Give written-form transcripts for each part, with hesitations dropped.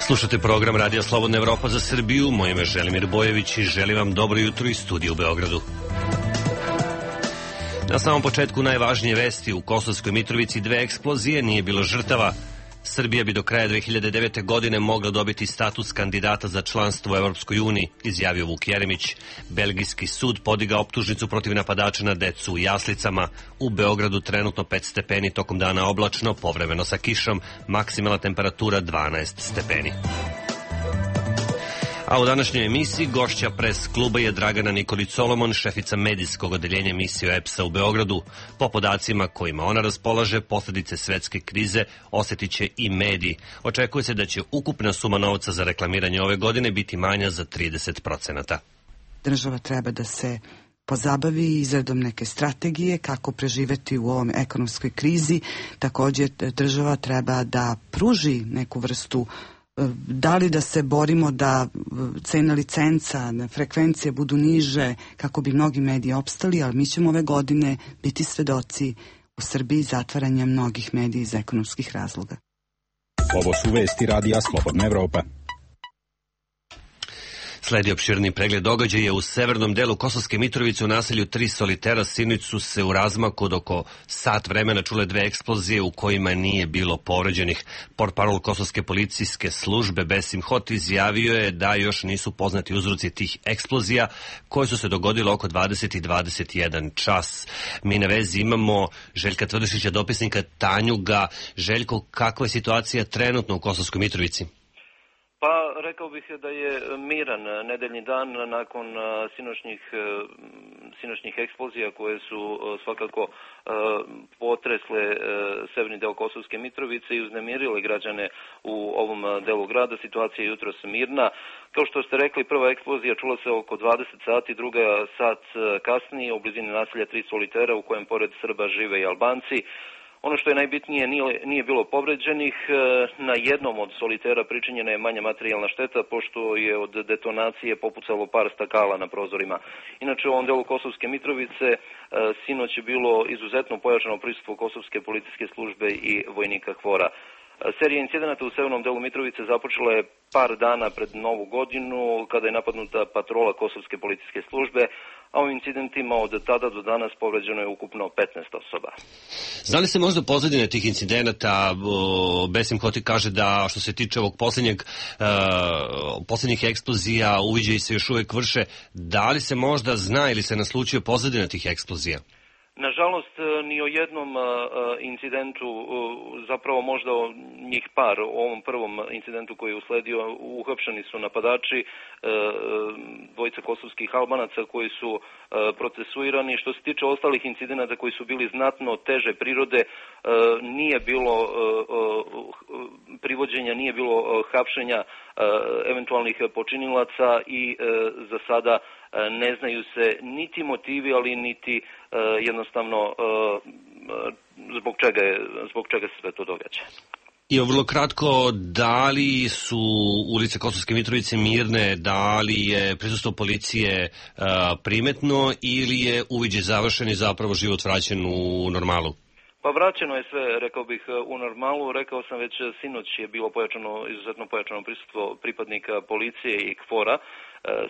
Slušate program Radija Slobodna Evropa za Srbiju. Moje ime je Želimir Bojević i želim vam dobro jutro iz studija u Beogradu. Na samom početku najvažnije vesti: u Kosovskoj Mitrovici 2 eksplozije, nije bilo žrtava. Srbija bi do kraja 2009. godine mogla dobiti status kandidata za članstvo u Evropskoj uniji, izjavio Vuk Jeremić. Belgijski sud podigao optužnicu protiv napadača na decu u jaslicama. U Beogradu trenutno 5 stepeni, tokom dana oblačno, povremeno sa kišom, maksimalna temperatura 12 stepeni. A u današnjoj emisiji gošća pres kluba je Dragana Nikolić Solomon, šefica medijskog odeljenja emisije EPS-a u Beogradu. Po podacima kojima ona raspolaže, posljedice svetske krize osjetit će i mediji. Očekuje se da će ukupna suma novca za reklamiranje ove godine biti manja za 30%. Država treba da se pozabavi izradom neke strategije kako preživeti u ovom ekonomskoj krizi. Također država treba da pruži neku vrstu, da li da se borimo da cena licenca, frekvencije budu niže kako bi mnogi mediji opstali, ali mi ćemo ove godine biti svedoci u Srbiji zatvaranja mnogih medija iz ekonomskih razloga. Ovo su vesti Radija Slobodna Evropa. Sledi opširni pregled događaja u severnom delu Kosovske Mitrovice u naselju Tri Solitera. Sinoć su se u razmaku od oko sat vremena čule 2 eksplozije u kojima nije bilo povređenih. Portparol Kosovske policijske službe Besim Hot izjavio je da još nisu poznati uzroci tih eksplozija koje su se dogodile oko 20 i 21 čas. Mi na vezi imamo Željka Tvrdišića, dopisnika Tanjuga. Željko, kakva je situacija trenutno u Kosovskoj Mitrovici? Pa rekao bih da je miran nedeljni dan nakon sinoćnih eksplozija koje su svakako potresle severni deo Kosovske Mitrovice i uznemirile građane u ovom delu grada. Situacija je jutros mirna. Kao što ste rekli, prva eksplozija čula se oko 20 sati, druga sat kasnije u blizini naselja Tri Solitera u kojem pored Srba žive i Albanci. Ono što je najbitnije, nije bilo povređenih. Na jednom od solitera pričinjena je manja materijalna šteta, pošto je od detonacije popucalo par stakala na prozorima. Inače, u ovom delu Kosovske Mitrovice sinoć je bilo izuzetno pojačano prisustvo Kosovske policijske službe i vojnika KFOR-a. Serija incidenata u severnom delu Mitrovice započela je par dana pred Novu godinu, kada je napadnuta patrola Kosovske policijske službe, a u incidentima od tada do danas povređeno je ukupno 15 osoba. Zna li se možda pozadine tih incidenata? Besim Hoti kaže da što se tiče ovog posljednjih eksplozija, uviđaji se još uvijek vrše. Da li se možda zna ili se naslučio pozadina tih eksplozija? Nažalost, ni o jednom incidentu, zapravo možda njih par, o ovom prvom incidentu koji je usledio, uhapšeni su napadači, dvojica kosovskih Albanaca koji su procesuirani. Što se tiče ostalih incidenata koji su bili znatno teže prirode, nije bilo privođenja, nije bilo hapšenja eventualnih počinilaca i za sada ne znaju se niti motivi, ali niti jednostavno zbog čega se sve to događa. I vrlo kratko, da li su ulice Kosovske Mitrovice mirne, da li je prisustvo policije primetno ili je uviđaj završen i zapravo život vraćen u normalu? Pa vraćeno je sve, rekao bih, u normalu. Rekao sam već, sinoć je bilo izuzetno pojačano prisustvo pripadnika policije i KFOR-a.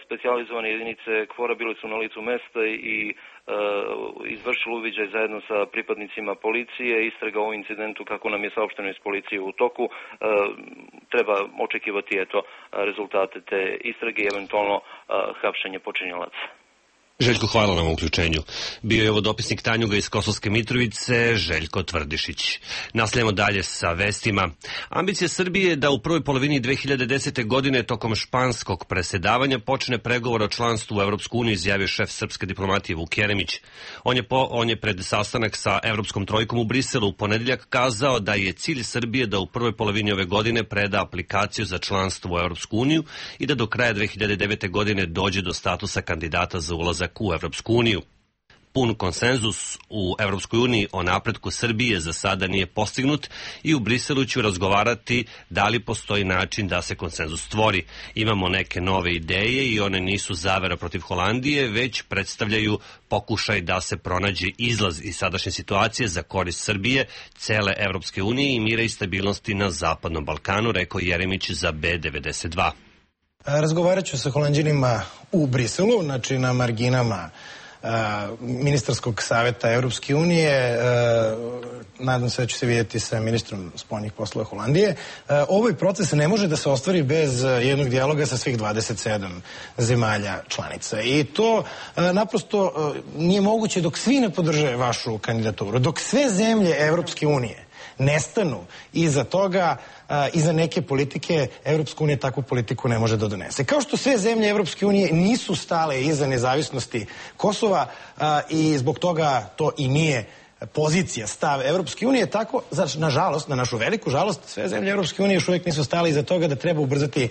Specijalizovane jedinice KFOR-a bile su na licu mesta i izvršili uviđaj zajedno sa pripadnicima policije. Istraga o incidentu, kako nam je saopšteno iz policije, u toku. Treba očekivati rezultate te istrage i eventualno hapšenje počinilaca. Željko, hvala nam u uključenju. Bio je ovo dopisnik Tanjuga iz Kosovske Mitrovice, Željko Tvrdišić. Nastavljamo dalje sa vestima. Ambicija Srbije je da u prvoj polovini 2010. godine tokom španskog presedavanja počne pregovor o članstvu u Evropsku uniju, izjavio šef srpske diplomatije Vuk Jeremić. On je pred sastanak sa Evropskom trojkom u Briselu u ponedjeljak kazao da je cilj Srbije da u prvoj polovini ove godine preda aplikaciju za članstvo u Evropsku uniju i da do kraja 2009. godine dođe do statusa kandidata za ulazak u Evropsku uniju. Pun konsenzus u Evropskoj uniji o napretku Srbije za sada nije postignut i u Briselu ću razgovarati da li postoji način da se konsenzus stvori. Imamo neke nove ideje i one nisu zavera protiv Holandije, već predstavljaju pokušaj da se pronađe izlaz iz sadašnje situacije za korist Srbije, cele Evropske unije i mira i stabilnosti na Zapadnom Balkanu, rekao Jeremić za B92. Razgovarat ću sa Holanđanima u Briselu, znači na marginama ministarskog saveta Evropske unije. Nadam se da ću se vidjeti sa ministrom spoljnih poslova Holandije. Ovaj proces ne može da se ostvari bez jednog dijaloga sa svih 27 zemalja članica. I to naprosto nije moguće dok svi ne podrže vašu kandidaturu. Dok sve zemlje Evropske unije nestanu iza toga, iza neke politike, Evropska unija takvu politiku ne može da donese. Kao što sve zemlje Evropske unije nisu stale iza nezavisnosti Kosova i zbog toga to i nije pozicija, stav Evropske unije, tako, nažalost, na našu veliku žalost, sve zemlje Evropske unije još uvijek nisu stale iza toga da treba ubrzati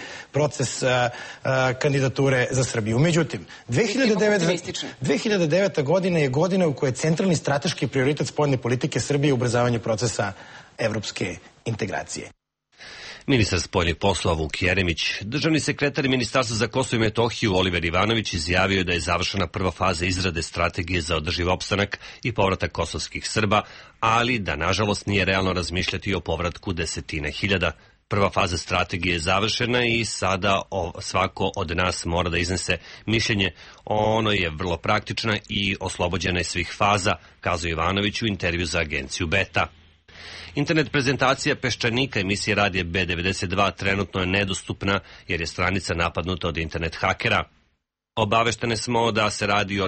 kandidature za Srbiju. Međutim, 2009. godina je godina u kojoj je centralni strateški prioritet spoljne politike Srbije ubrzavanje procesa evropske integracije. Ministar spoljnih poslova Vuk Jeremić, državni sekretar Ministarstva za Kosovo i Metohiju Oliver Ivanović izjavio da je završena prva faza izrade strategije za održiv opstanak i povratak kosovskih Srba, ali da nažalost nije realno razmišljati o povratku desetina hiljada. Prva faza strategije je završena i sada svako od nas mora da iznese mišljenje. Ono je vrlo praktična i oslobođena je svih faza, kazao Ivanović u intervju za agenciju Beta. Internet prezentacija Peščanika emisije radija B92 trenutno je nedostupna jer je stranica napadnuta od internet hakera. Obaveštene smo da se radi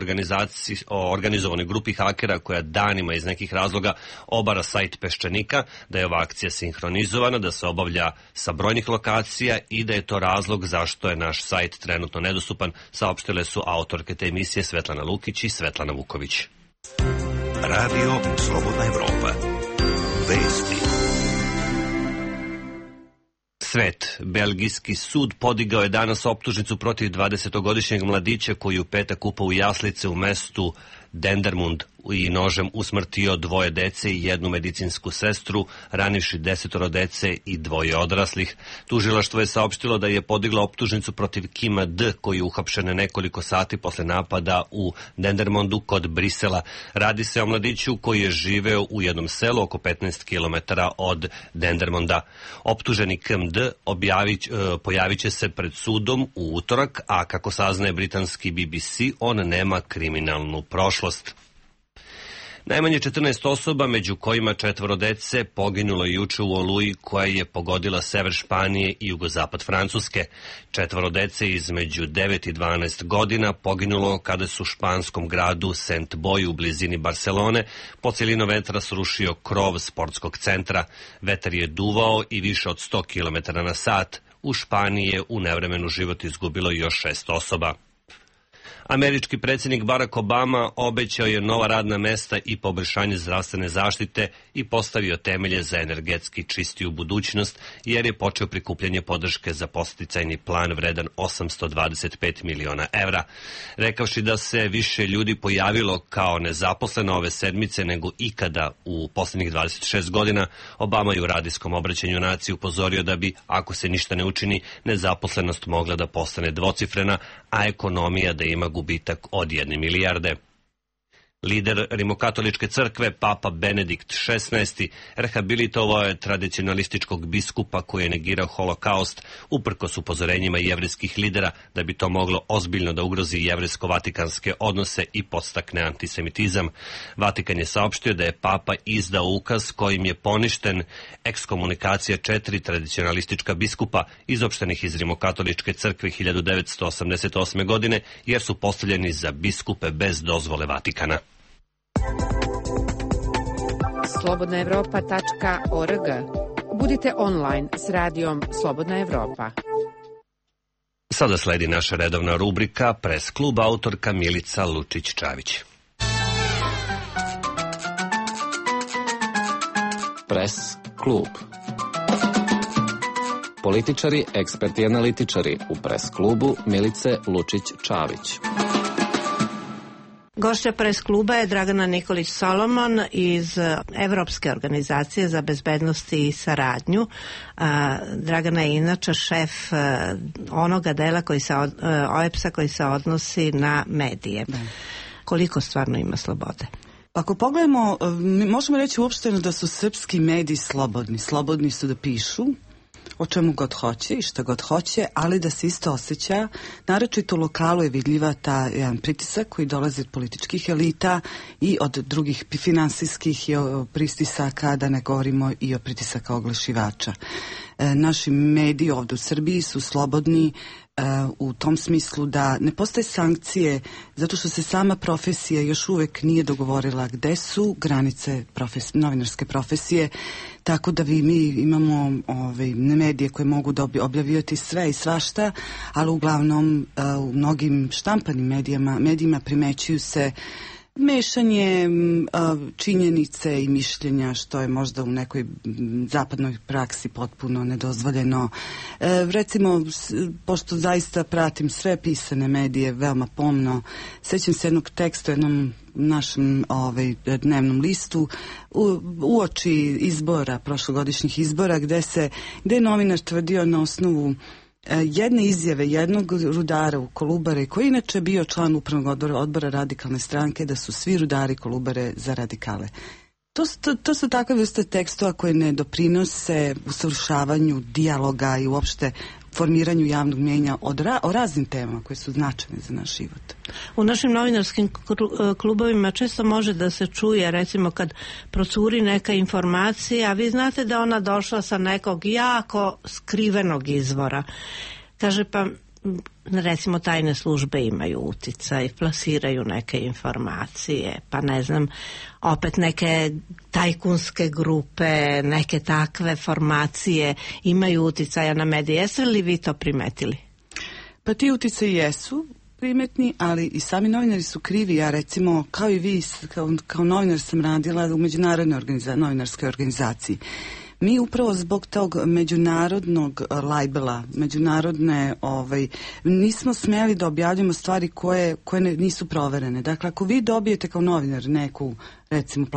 o organizovanoj grupi hakera koja danima iz nekih razloga obara sajt Peščanika, da je ova akcija sinhronizovana, da se obavlja sa brojnih lokacija i da je to razlog zašto je naš sajt trenutno nedostupan, saopštile su autorke te emisije Svetlana Lukić i Svetlana Vuković. Radio Slobodna Evropa. Vesti. Svet. Belgijski sud podigao je danas optužnicu protiv 20-godišnjeg mladića koji je u petak upao u jaslice u mestu Dendermund i nožem usmrtio 2 dece i 1 medicinsku sestru, ranivši 10 dece i 2 odraslih. Tužilaštvo je saopštilo da je podiglo optužnicu protiv Kima D, koji je uhapšen nekoliko sati posle napada u Dendermondu kod Brisela. Radi se o mladiću koji je živeo u jednom selu oko 15 km od Dendermonda. Optuženi Kim D pojavit će se pred sudom u utorak, a kako saznaje britanski BBC, on nema kriminalnu prošlost. Najmanje 14 osoba, među kojima 4 dece, poginulo je juče u oluji koja je pogodila sever Španije i jugozapad Francuske. 4 dece između 9 i 12 godina poginulo kada su u španskom gradu Saint-Boy u blizini Barcelone po celino vetra srušio krov sportskog centra. Vetar je duvao i više od 100 km na sat. U Španiji je u nevremenu život izgubilo još 6 osoba. Američki predsjednik Barack Obama obećao je nova radna mesta i poboljšanje zdravstvene zaštite i postavio temelje za energetski čistiju budućnost, jer je počeo prikupljanje podrške za podsticajni plan vredan 825 miliona evra. Rekavši da se više ljudi pojavilo kao nezaposleno ove sedmice nego ikada u posljednjih 26 godina, Obama je u radijskom obraćanju naciji upozorio da bi, ako se ništa ne učini, nezaposlenost mogla da postane dvocifrena, a ekonomija da ima gubitak od 1 milijarde. Lider rimokatoličke crkve, papa Benedikt XVI, rehabilitovao je tradicionalističkog biskupa koji je negirao holokaust uprkos upozorenjima jevrejskih lidera da bi to moglo ozbiljno da ugrozi jevrejsko-vatikanske odnose i podstakne antisemitizam. Vatikan je saopštio da je papa izdao ukaz kojim je poništen ekskomunikacija 4 tradicionalistička biskupa izopštenih iz rimokatoličke crkve 1988. godine jer su postavljeni za biskupe bez dozvole Vatikana. slobodnaevropa.org. Budite online s radijom Slobodna Evropa. Sada sledi naša redovna rubrika Pres klub, autorka Milica Lučić-Čavić. Pres klub. Političari, eksperti i analitičari u Pres klubu Milice Lučić-Čavić. Gošća Press kluba je Dragana Nikolić-Solomon iz Evropske organizacije za bezbednost i saradnju. Dragana je inače šef onoga dela OEBS-a koji se odnosi na medije. Da. Koliko stvarno ima slobode? Ako pogledamo, možemo reći uopšteno da su srpski mediji slobodni. Slobodni su da pišu o čemu god hoće i šta god hoće, ali da se isto osjeća, naročito u lokalu je vidljiva ta jedan pritisak koji dolazi od političkih elita i od drugih finansijskih pritisaka, da ne govorimo i o pritisaka oglašivača. Naši mediji ovdje u Srbiji su slobodni u tom smislu da ne postoje sankcije zato što se sama profesija još uvek nije dogovorila gde su granice novinarske profesije, tako da mi imamo medije koje mogu objavljivati sve i svašta, ali uglavnom u mnogim štampanim medijima primećuju se mešanje činjenice i mišljenja, što je možda u nekoj zapadnoj praksi potpuno nedozvoljeno. Recimo, pošto zaista pratim sve pisane medije veoma pomno, sećam se jednog teksta u jednom našem dnevnom listu uoči izbora, prošlogodišnjih izbora, gde je novinar tvrdio na osnovu jedne izjave jednog rudara u Kolubare, koji je inače bio član upravnog odbora Radikalne stranke, da su svi rudari Kolubare za radikale. To su takve vrste tekstova koje ne doprinose usavršavanju dijaloga i uopšte formiranju javnog mnjenja o raznim temama koje su značajne za naš život. U našim novinarskim klubovima često može da se čuje, recimo kad procuri neka informacija, a vi znate da ona došla sa nekog jako skrivenog izvora. Kaže, pa recimo tajne službe imaju uticaj, plasiraju neke informacije, pa ne znam, opet neke tajkunske grupe, neke takve formacije imaju uticaja na medije. Jeste li vi to primetili? Pa ti uticaji jesu primetni, ali i sami novinari su krivi. Ja recimo, kao i vi, kao novinar sam radila u međunarodnoj novinarskoj organizaciji. Mi upravo zbog tog međunarodnog labela, međunarodne, nismo smjeli da objavljamo stvari koje nisu proverene. Dakle, ako vi dobijete kao novinar neku, recimo,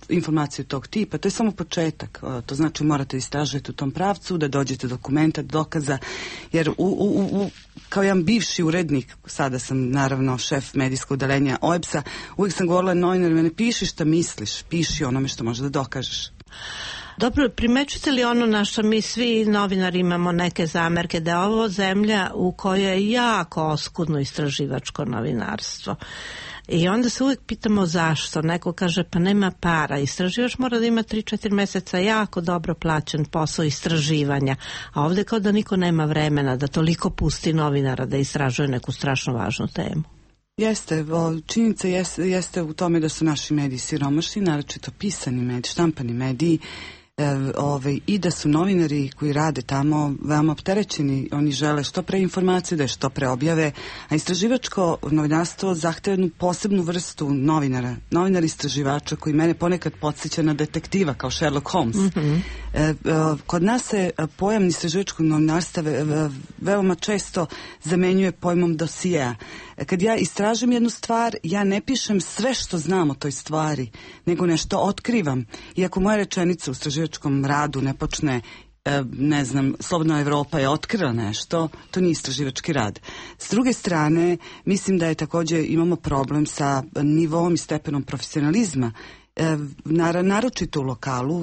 informaciju tog tipa, to je samo početak. To znači morate istražiti u tom pravcu, da dođete do dokumenta, dokaza, jer kao jedan bivši urednik, sada sam naravno šef medijskog odeljenja OEBS-a, uvijek sam govorila novinarima, ne piši šta misliš, piši onome što možeš da dokažeš. Dobro, primećujete li ono na što mi svi novinari imamo neke zamerke, da je ovo zemlja u kojoj je jako oskudno istraživačko novinarstvo? I onda se uvijek pitamo zašto. Neko kaže, pa nema para. Istraživač mora da ima 3-4 meseca jako dobro plaćen posao istraživanja. A ovdje kao da niko nema vremena da toliko pusti novinara da istražuje neku strašno važnu temu. Jeste, činjenica jeste u tome da su naši mediji siromašni, naročito pisani mediji, štampani mediji, i da su novinari koji rade tamo veoma opterećeni. Oni žele što pre informacije, da je što pre objave, a istraživačko novinarstvo zahteva jednu posebnu vrstu novinara istraživača koji mene ponekad podsjeća na detektiva kao Sherlock Holmes. Mm-hmm. Kod nas se pojam istraživačkog novinarstva veoma često zamenjuje pojmom dosijea. Kad ja istražim jednu stvar, ja ne pišem sve što znam o toj stvari, nego nešto otkrivam. Iako moja rečenica u istraživačkom radu ne počne, ne znam, Slobodna Evropa je otkrila nešto, to nije istraživački rad. S druge strane, mislim da je također imamo problem sa nivom i stepenom profesionalizma. Naročito u lokalu,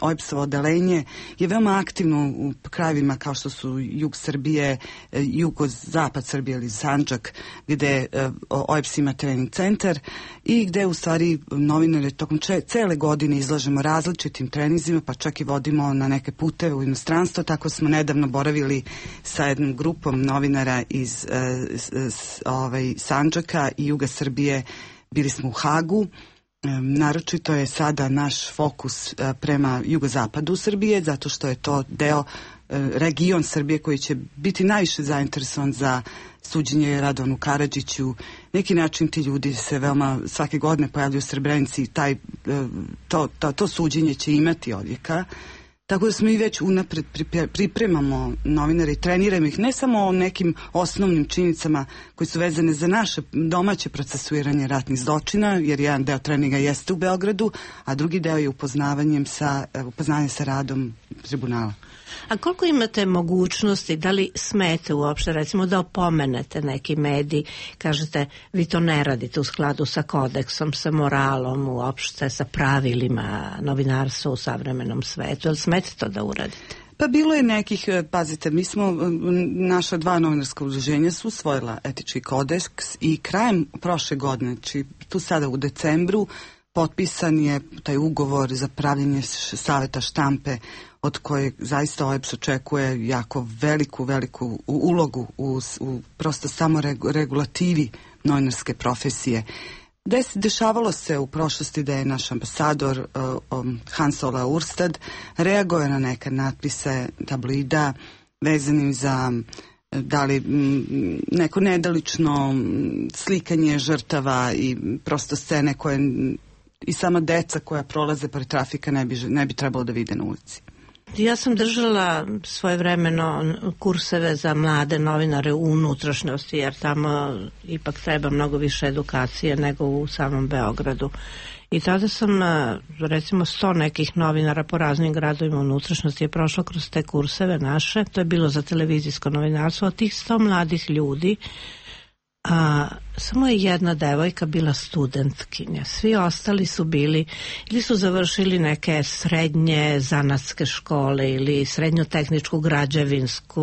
OEBS-ovo odelenje je veoma aktivno u krajevima kao što su jug Srbije, jugozapad Srbije ili Sandžak, gde OEBS ima trening centar i gde u stvari novinare tokom cele godine izlažemo različitim treninzima, pa čak i vodimo na neke puteve u inostranstvo. Tako smo nedavno boravili sa jednom grupom novinara iz Sandžaka i juga Srbije, bili smo u Hagu. Naročito je sada naš fokus prema jugozapadu Srbije, zato što je to region Srbije koji će biti najviše zainteresovan za suđenje Radovanu Karadžiću. Neki način ti ljudi se veoma svake godine pojavljuju u Srebrenici, to suđenje će imati odjeka. Tako da smo i već unapred pripremamo novinare i treniramo ih ne samo o nekim osnovnim činjenicama koji su vezane za naše domaće procesuiranje ratnih zločina, jer jedan deo treninga jeste u Beogradu, a drugi deo je upoznavanje sa radom tribunala. A koliko imate mogućnosti, da li smete uopšte, recimo da opomenete neki medij, kažete vi to ne radite u skladu sa kodeksom, sa moralom, uopšte sa pravilima novinarstva u savremenom svetu, jel smete to da uradite? Pa bilo je nekih, pazite, mi smo, naša 2 novinarska udruženja su usvojila etički kodeks i krajem prošle godine, znači tu sada u decembru, potpisan je taj ugovor za pravljenje saveta štampe od kojeg zaista OEBS očekuje jako veliku ulogu u prosto samo regulativi novinarske profesije. Dešavalo se u prošlosti da je naš ambasador Hans Ola Urstad reagovao na neke natpise tabloida vezanim za da li neko nedalično slikanje žrtava i prosto scene koje i sama deca koja prolaze pored trafika ne bi trebalo da vide na ulici. Ja sam držala svojevremeno kurseve za mlade novinare u unutrašnjosti, jer tamo ipak treba mnogo više edukacije nego u samom Beogradu. I tada sam, recimo 100 nekih novinara po raznim gradovima unutrašnjosti je prošlo kroz te kurseve naše, to je bilo za televizijsko novinarstvo, od tih 100 mladih ljudi samo je jedna devojka bila studentkinja. Svi ostali su bili ili su završili neke srednje zanatske škole ili srednjotehničku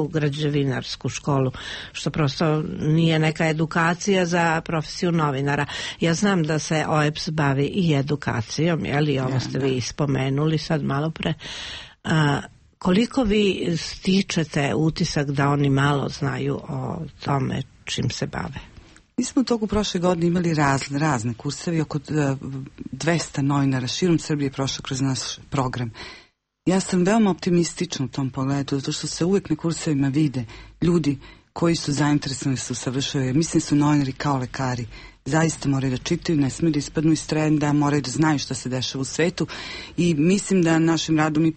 građevinarsku školu, što prosto nije neka edukacija za profesiju novinara. Ja znam da se OEBS bavi i edukacijom, jeli, ovo ste vi spomenuli sad malo pre. Koliko vi stičete utisak da oni malo znaju o tome čim se bave? Mi smo u toku prošle godine imali razne kurseve, oko 200 novinara širom Srbije prošlo kroz naš program. Ja sam veoma optimistična u tom pogledu, zato što se uvek na kursevima vide ljudi koji su zainteresovani su savršavaju. Mislim su novinari kao lekari. Zaista moraju da čitaju, ne smiju da ispadnu iz trenda, moraju da znaju šta se dešava u svetu i mislim da našim radom mi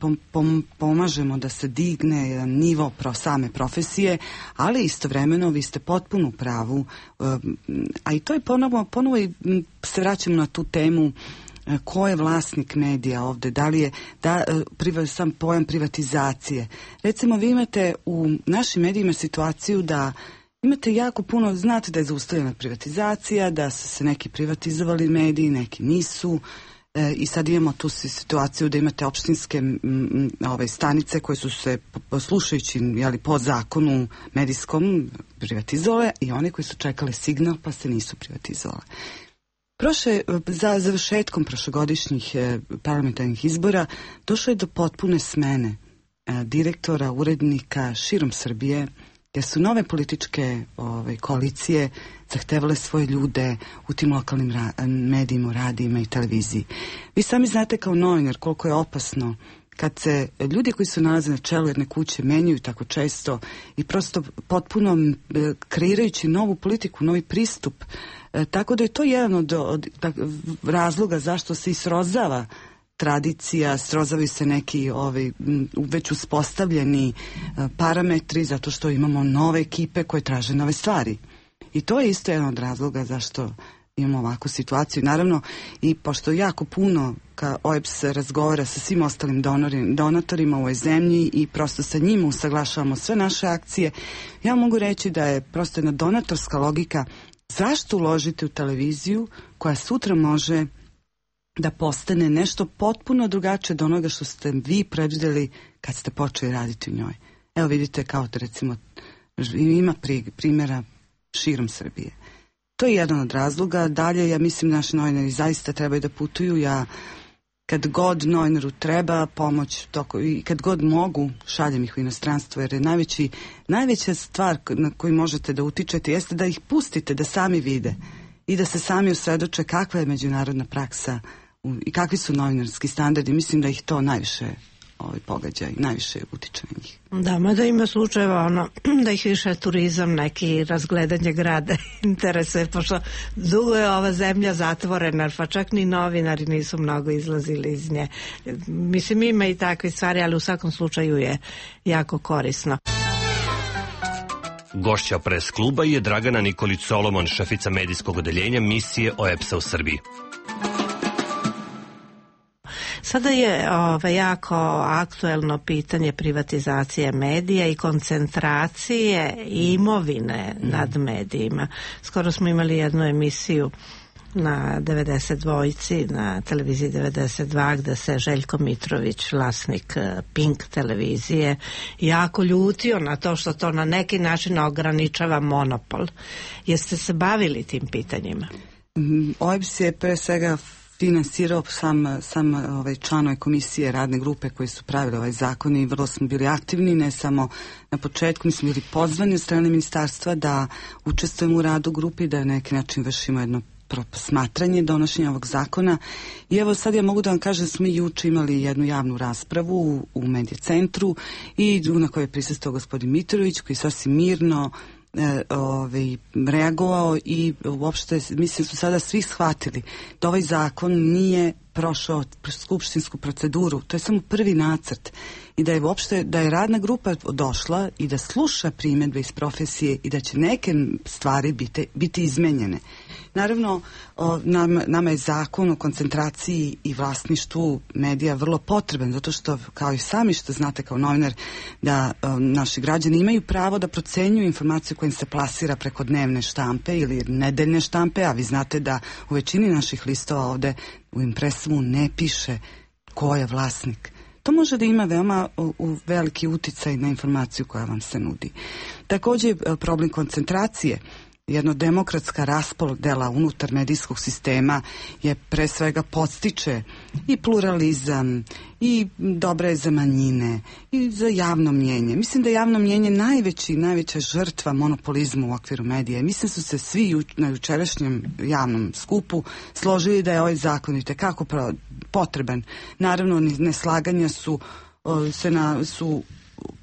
pomažemo da se digne jedan nivo same profesije, ali istovremeno vi ste potpuno u pravu, a i to je ponovo i se vraćamo na tu temu ko je vlasnik medija ovde, da li je sam pojam privatizacije. Recimo vi imate u našim medijima situaciju da imate jako puno, znate da je zaustavljena privatizacija, da su se neki privatizovali mediji, neki nisu i sad imamo tu situaciju da imate opštinske stanice koje su se slušajući po zakonu medijskom privatizovale i one koji su čekale signal pa se nisu privatizovale. Za završetkom prošlogodišnjih parlamentarnih izbora došlo je do potpune smene direktora, urednika širom Srbije, jer su nove političke koalicije zahtevale svoje ljude u tim lokalnim medijima, radijima i televiziji. Vi sami znate kao novinar koliko je opasno kad se ljudi koji se nalaze na čelu jedne kuće menjaju tako često i prosto potpuno kreirajući novu politiku, novi pristup. Tako da je to jedan od razloga zašto se i srozava tradicija, srozavaju se neki već uspostavljeni parametri zato što imamo nove ekipe koje traže nove stvari. I to je isto jedan od razloga zašto imamo ovakvu situaciju. Naravno, i pošto jako puno OEBS razgovara sa svim ostalim donatorima u ovoj zemlji i prosto sa njima usaglašavamo sve naše akcije, ja mogu reći da je prosto jedna donatorska logika zašto uložiti u televiziju koja sutra može da postane nešto potpuno drugačije od onoga što ste vi predvideli kad ste počeli raditi u njoj. Evo vidite kao da recimo ima primjera širom Srbije. To je jedan od razloga. Dalje, ja mislim naši novinari zaista trebaju da putuju. Ja kad god novinaru treba pomoć i kad god mogu šaljem ih u inostranstvo jer je najveća stvar na koju možete da utičete jeste da ih pustite da sami vide i da se sami usredoče kakva je međunarodna praksa i kakvi su novinarski standardi. Mislim da ih to najviše pogađaj, najviše utiče na njih. Da, mada ima slučajeva da ih više turizam, neki razgledanje grada interesuje, pošto dugo je ova zemlja zatvorena, pa čak ni novinari nisu mnogo izlazili iz nje. Mislim, ima i takve stvari, ali u svakom slučaju je jako korisno. Gošća Press kluba je Dragana Nikolić Solomon, šefica medijskog odeljenja misije OEBS-a u Srbiji. Sada je jako aktuelno pitanje privatizacije medija i koncentracije imovine nad medijima. Skoro smo imali jednu emisiju na 92, na televiziji 92, gde se Željko Mitrović, vlasnik Pink televizije, jako ljutio na to što to na neki način ograničava monopol. Jeste se bavili tim pitanjima? OEBS je pre svega finansirao sam članove komisije radne grupe koji su pravili ovaj zakon i vrlo smo bili aktivni, ne samo na početku, mi smo bili pozvani od strane ministarstva da učestvujemo u radu grupi, da na neki način vršimo jedno smatranje donošenja ovog zakona. I evo sad ja mogu da vam kažem da smo juče imali jednu javnu raspravu u Medija centru i na kojoj je prisustvovao gospodin Mitrović, koji sasvim mirno reagovao i uopšte mislim su sada svi shvatili da ovaj zakon nije prošao skupštinsku proceduru, to je samo prvi nacrt i da je uopšte, da je radna grupa došla i da sluša primjedbe iz profesije i da će neke stvari biti izmenjene. Naravno, nama je zakon o koncentraciji i vlasništvu medija vrlo potreban, zato što, kao i sami što znate kao novinar, da naši građani imaju pravo da procenjuju informaciju koja im se plasira preko dnevne štampe ili nedeljne štampe, a vi znate da u većini naših listova ovde u impresumu ne piše ko je vlasnik. To može da ima veoma veliki uticaj na informaciju koja vam se nudi. Također problem koncentracije, jedno demokratska raspodela unutar medijskog sistema je pre svega podstiče i pluralizam i dobra je za manjine i za javno mnjenje. Mislim da je javno mnjenje najveća žrtva monopolizma u okviru medija. Mislim su se svi na jučerašnjem javnom skupu složili da je ovaj zakon itekako potreban. Naravno, neslaganja su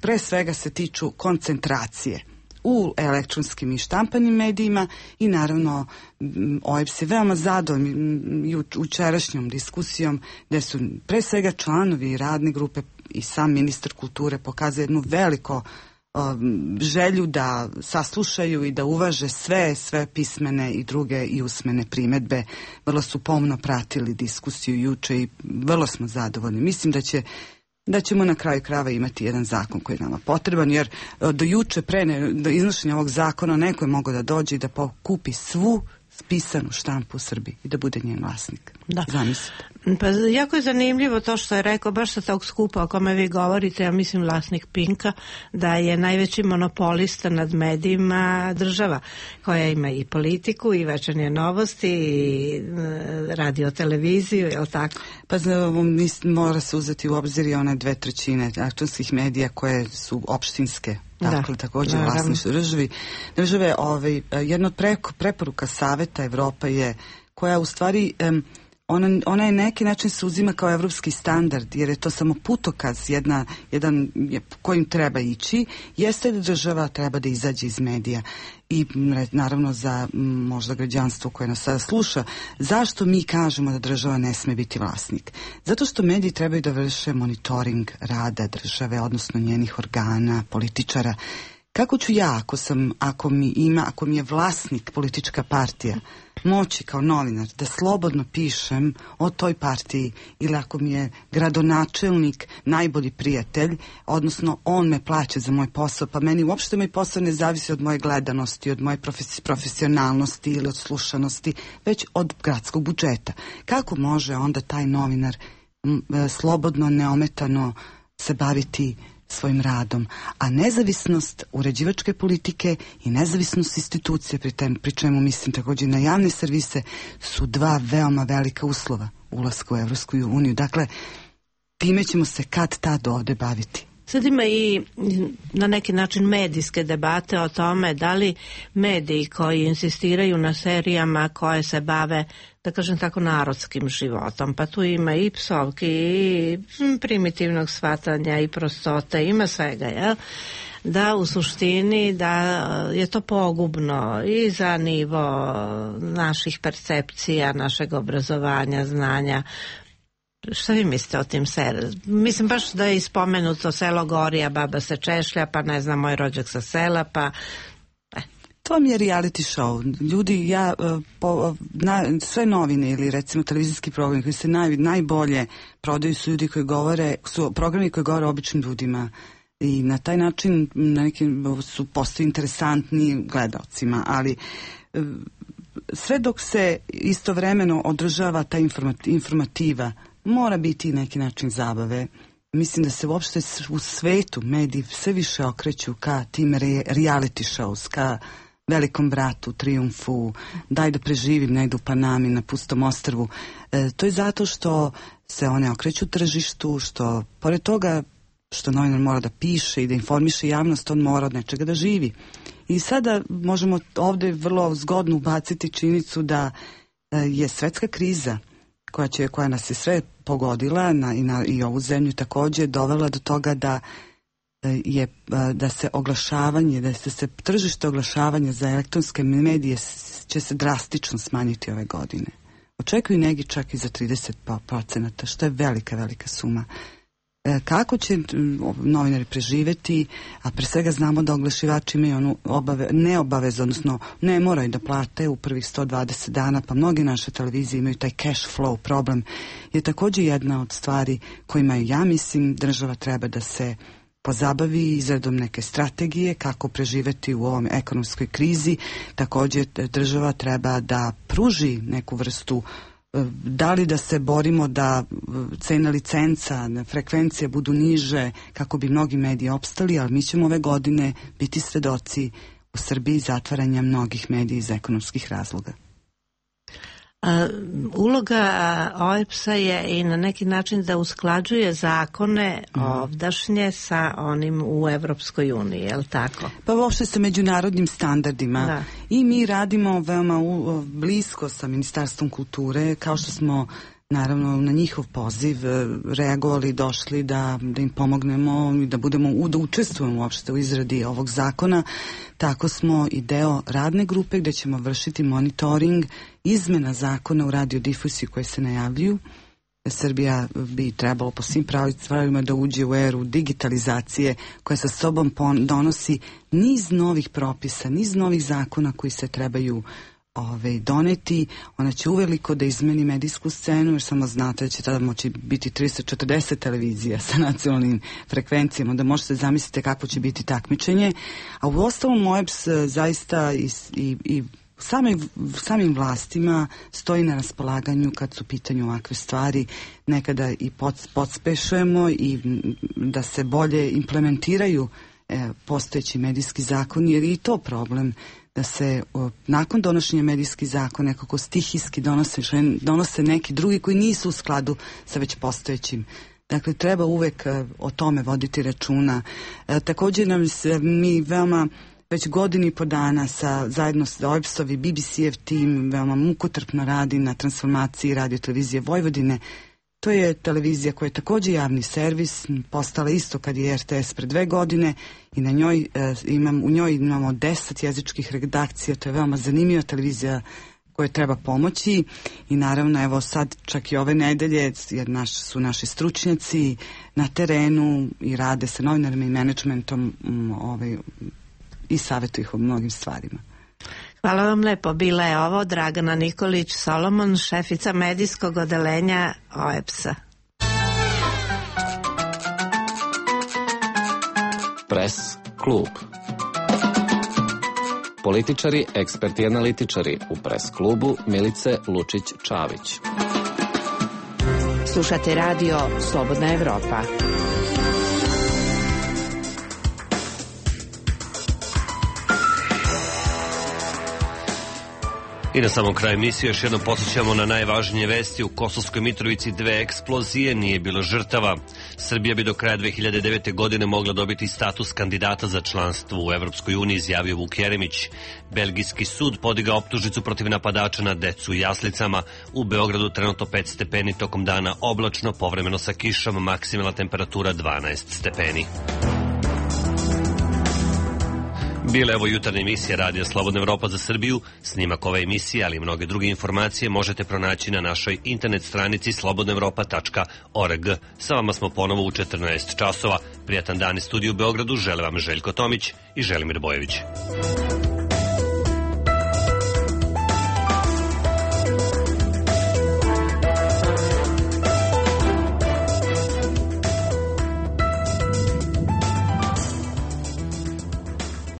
pre svega se tiču koncentracije u elektronskim i štampanim medijima i naravno OEBS je veoma zadovoljan jučerašnjom diskusijom gde su pre svega članovi radne grupe i sam ministar kulture pokazuje jednu veliko želju da saslušaju i da uvaže sve pismene i druge i usmene primedbe. Vrlo su pomno pratili diskusiju juče i vrlo smo zadovoljni. Mislim da ćemo na kraju krajeva imati jedan zakon koji je nama potreban, jer do juče, do iznošenja ovog zakona, neko je mogao da dođe i da pokupi svu pisanu štampu u Srbiji i da bude njen vlasnik. Da. Zamislite. Pa jako je zanimljivo to što je rekao, baš sa tog skupa o kome vi govorite, ja mislim vlasnik Pinka, da je najveći monopolista nad medijima država, koja ima i politiku, i večernje novosti, i radio televiziju, je li tako? Pa mora se uzeti u obzir i one 2/3 elektronskih medija koje su opštinske. Dakle, također vlasništvo države. Jedna od preporuka Saveta Evropa je, koja u stvari ona je neki način se uzima kao evropski standard, jer je to samo putokaz jedan kojim treba ići, jeste da država treba da izađe iz medija. I naravno za možda građanstvo koje nas sada sluša, zašto mi kažemo da država ne sme biti vlasnik? Zato što mediji trebaju da vrše monitoring rada države, odnosno njenih organa, političara. Kako ću ja, ako mi je vlasnik politička partija, moći kao novinar da slobodno pišem o toj partiji, ili ako mi je gradonačelnik najbolji prijatelj, odnosno on me plaća za moj posao, pa meni uopšte moj posao ne zavisi od moje gledanosti, od moje profesionalnosti ili od slušanosti, već od gradskog budžeta. Kako može onda taj novinar slobodno, neometano se baviti svojim radom, a nezavisnost uređivačke politike i nezavisnost institucije, pri čemu mislim također na javne servise, su dva veoma velika uslova ulaska u Evropsku uniju. Dakle, time ćemo se kad tad ovde baviti. Sad ima i na neki način medijske debate o tome da li mediji koji insistiraju na serijama koje se bave, da kažem tako, narodskim životom, pa tu ima i psovki i primitivnog shvatanja i prostote, ima svega, jel? Da u suštini da je to pogubno i za nivo naših percepcija, našeg obrazovanja, znanja. Šta vi mislite o tim serijama? Mislim baš da je ispomenuto Selo gori, a baba se češlja, pa ne znam, moj rođak sa sela, pa... To mi je reality show. Ljudi, sve novine ili recimo televizijski programi koji se najbolje prodaju su ljudi koji govore, su programi koji govore običnim ljudima. I na taj način su postali interesantni gledalcima, ali sve dok se istovremeno održava ta informativa, mora biti neki način zabave. Mislim da se uopšte u svetu mediji sve više okreću ka tim reality shows, ka Velikom bratu, Trijumfu, Daj da preživim negdje u Panami, na Pustom ostrvu. To je zato što se one okreću tržištu, što pored toga što novinar mora da piše i da informiše javnost, on mora od nečega da živi. I sada možemo ovdje vrlo zgodno ubaciti činjenicu da je svetska kriza koja nas je sve pogodila i ovu zemlju također dovela do toga da se oglašavanje, da se tržište oglašavanja za elektronske medije će se drastično smanjiti ove godine. Očekuju neki čak i za 30%, što je velika suma. Kako će novinari preživeti, a pre svega znamo da oglašivači imaju onu neobavezu, odnosno ne moraju da plate u prvih 120 dana, pa mnogi naše televizije imaju taj cash flow problem, je također jedna od stvari kojima ja mislim država treba da se pozabavi izradom neke strategije kako preživeti u ovom ekonomskoj krizi. Također država treba da pruži neku vrstu, da li da se borimo da cena licenca, frekvencije budu niže kako bi mnogi mediji opstali, ali mi ćemo ove godine biti svedoci u Srbiji zatvaranja mnogih medija iz ekonomskih razloga. Uloga OEBS-a je i na neki način da usklađuje zakone ovdašnje sa onim u Evropskoj uniji, je li tako? Pa uopšte sa međunarodnim standardima. Da. I mi radimo veoma blisko sa Ministarstvom kulture, kao što smo naravno na njihov poziv reagovali, došli da im pomognemo i da učestvujemo uopšte u izradi ovog zakona. Tako smo i deo radne grupe gdje ćemo vršiti monitoring izmena zakona u radiodifuziji koje se najavljuju. Srbija bi trebalo po svim pravilima da uđe u eru digitalizacije koja sa sobom donosi niz novih propisa, niz novih zakona koji se trebaju doneti. Ona će uveliko da izmeni medijsku scenu, jer samo znate da će tada moći biti 340 televizija sa nacionalnim frekvencijama, da možete zamisliti kako će biti takmičenje. A u ostalom OEBS zaista i samim vlastima stoji na raspolaganju kad su u pitanju ovakve stvari. Nekada i podspešujemo i da se bolje implementiraju postojeći medijski zakon, jer je i to problem da se nakon donošenja medijskih zakona nekako stihijski donose neki drugi koji nisu u skladu sa već postojećim. Dakle, treba uvek o tome voditi računa. Također mi veoma već godinu i po dana zajedno sa OEBS-ov i BBC-ev tim veoma mukotrpno radi na transformaciji Radio televizije Vojvodine. To je televizija koja je također javni servis, postala isto kad je RTS pre 2 godine i u njoj imamo 10 jezičkih redakcija. To je veoma zanimljiva televizija koje treba pomoći i naravno evo sad čak i ove nedelje jer su naši stručnjaci na terenu i rade sa novinarima i menadžmentom i savjetuju ih o mnogim stvarima. Hvala vam lepo. Bila je ovo Dragana Nikolić Solomon, šefica medijskog odeljenja OEBS-a. Press klub. Političari, eksperti i analitičari u Press klubu Milice Lučić-Čavić. Slušate radio Slobodna Evropa. I na samom kraju emisije još jednom podsjećamo na najvažnije vesti. U Kosovskoj Mitrovici 2 eksplozije, nije bilo žrtava. Srbija bi do kraja 2009. godine mogla dobiti status kandidata za članstvo u Evropskoj uniji, izjavio Vuk Jeremić. Belgijski sud podigao optužnicu protiv napadača na decu u jaslicama. U Beogradu trenutno 5 stepeni, tokom dana oblačno, povremeno sa kišom, maksimalna temperatura 12 stepeni. Bila je ovo jutarnja emisija Radija Slobodna Evropa za Srbiju. Snimak ove emisije, ali i mnoge druge informacije možete pronaći na našoj internet stranici slobodnaevropa.org. Sa vama smo ponovo u 14 časova. Prijatan dan iz studiju u Beogradu. Žele vam Željko Tomić i Želimir Bojević.